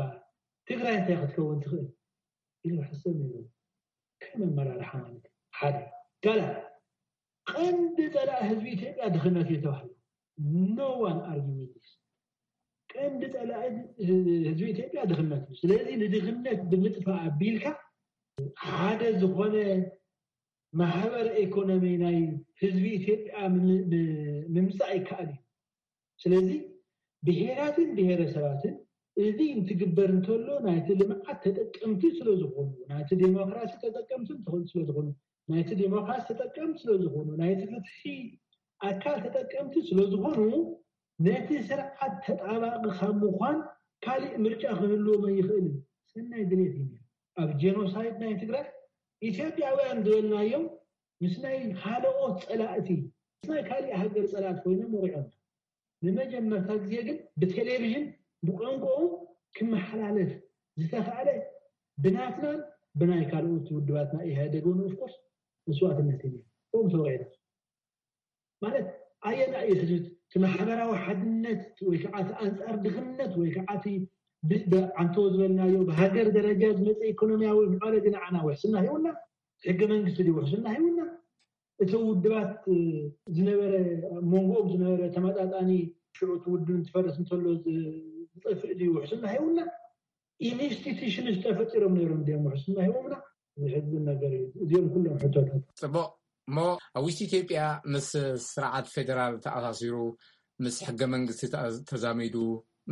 ትግራይ እንታይ ክትከውን ትኽእል ኢሉ ሕሰብ ነይሩ። ከም ኣመራርሓ ማለት እዩ። ሓደ ካልኣይ ቀንዲ ፀላኢ ህዝቢ ኢትዮጵያ ድኽነት እዩ ተባሂሉ። No one argue with this። ቀንዲ ፀላኢ ህዝቢ ኢትዮጵያ ድኽነት እዩ። ስለዚ ንድኽነት ብምጥፋእ ኣቢልካ ሓደ ዝኾነ ማሕበረ ኢኮኖሚ ናይ ህዝቢ ኢትዮጵያ ምምፃእ ይከኣል እዩ። ስለዚ ብሄራትን ብሄረሰባትን እዚ እንትግበር እንተሎ ናይቲ ልምዓት ተጠቀምቲ ስለዝኾኑ፣ ናይቲ ዴሞክራሲ ተጠቀምቲ ስለዝኾኑ፣ ናይቲ ዴሞክራሲ ተጠቀምቲ ስለዝኾኑ፣ ናይቲ ፍትሒ ኣካል ተጠቀምቲ ስለዝኾኑ ነቲ ስርዓት ተጣባቂ ካብ ምዃን ካሊእ ምርጫ ክህልዎም ኣይኽእልን። ሰናይ ድሌት እዩ። ኣብ ጄኖሳይድ ናይ ትግራይ ኢትዮጵያውያን ዝበልናዮም ምስ ናይ ካልኦት ፀላእቲ፣ ምስ ናይ ካሊእ ሃገር ፀላእቲ ኮይኖም ወቂዖም። ንመጀመርታ ግዜ ግን ብቴሌቪዥን ብቋንቋኦም ክመሓላለፍ ዝተኻእለ ብናትናን ብናይ ካልኦት ውድባትና ኢህኣደግ እውን ኦፍኮርስ መስዋእትነት እዩ። ብኦም ተወቂዕና ማለት ኣየና እዩ ሕዚ እቲ ማሕበራዊ ሓድነት ወይ ከዓ እቲ ኣንፃር ድኽነት ወይ ከዓ እቲ ዓንተዎ ዝበልናዮ ብሃገር ደረጃ ዝመፀ ኢኮኖሚያዊ ምዕባለ ድንዓና ውሕስና ሂውና ሕገ መንግስቲ ድዩ ውሕስና ሂውና እቲ ውድባት ዝነበረ መንጎኦም ዝነበረ ተመጣጣኒ ሽዑ እቲ ውድብ እንትፈርስ እንተሎ ዝጠፍእ ድዩ ውሕስና ሂውና ኢንስቲቱሽንስ ተፈጢሮም ነይሮም ድዮም ውሕስና ሂቦምና ዝሕዝን ነገር እዩ። እዚኦም ኩሎም ሕቶታት። ፅቡቕ። እሞ ኣብ ውሽጢ ኢትዮጵያ ምስ ስርዓት ፌደራል ተኣሳሲሩ፣ ምስ ሕገ መንግስቲ ተዛሚዱ፣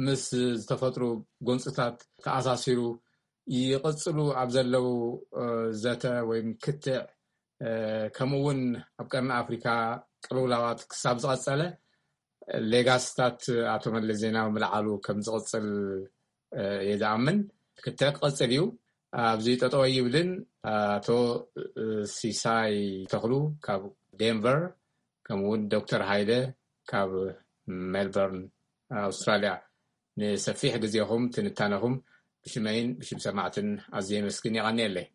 ምስ ዝተፈጥሩ ጎንፅታት ተኣሳሲሩ ይቕፅሉ ኣብ ዘለዉ ዘተ ወይም ክትዕ፣ ከምኡ እውን ኣብ ቀርኒ ኣፍሪካ ቅልውላዋት ክሳብ ዝቐፀለ ሌጋስታት ኣቶ መለስ ዜናዊ ምልዓሉ ከም ዝቕፅል እየ ዝኣምን። ክትዕ ክቐፅል እዩ። ኣብዚ ጠጠው ኣይብልን። ኣቶ ሲሳይ ተኽሉ ካብ ዴንቨር፣ ከምኡ እውን ዶክተር ሃይለ ካብ ሜልበርን ኣውስትራልያ፣ ንሰፊሕ ግዜኹም ትንታነኹም ብሽመይን ብሽም ሰማዕትን ኣዝየ የመስግን። የቐንየለይ።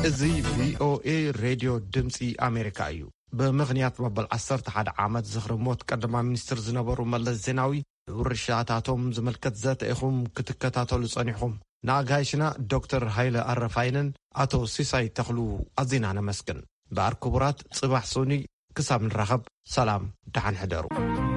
እዚ ቪኦኤ ሬድዮ ድምፂ ኣሜሪካ እዩ። ብምኽንያት መበል ዓሰርተ ሓደ ዓመት ዝኽሪ ሞት ቀዳማይ ሚኒስትር ዝነበሩ መለስ ዜናዊ ውርሻታቶም ዝምልከት ዘተ ኢኹም ክትከታተሉ ጸኒሕኹም። ንኣጋይሽና ዶክተር ሃይለ ኣረፋይነን ኣቶ ሲሳይ ተኽሉ ኣዚና ነመስግን። እምበኣር ክቡራት፣ ጽባሕ ሶኒ ክሳብ ንራኸብ ሰላም፣ ደሓን ሕደሩ።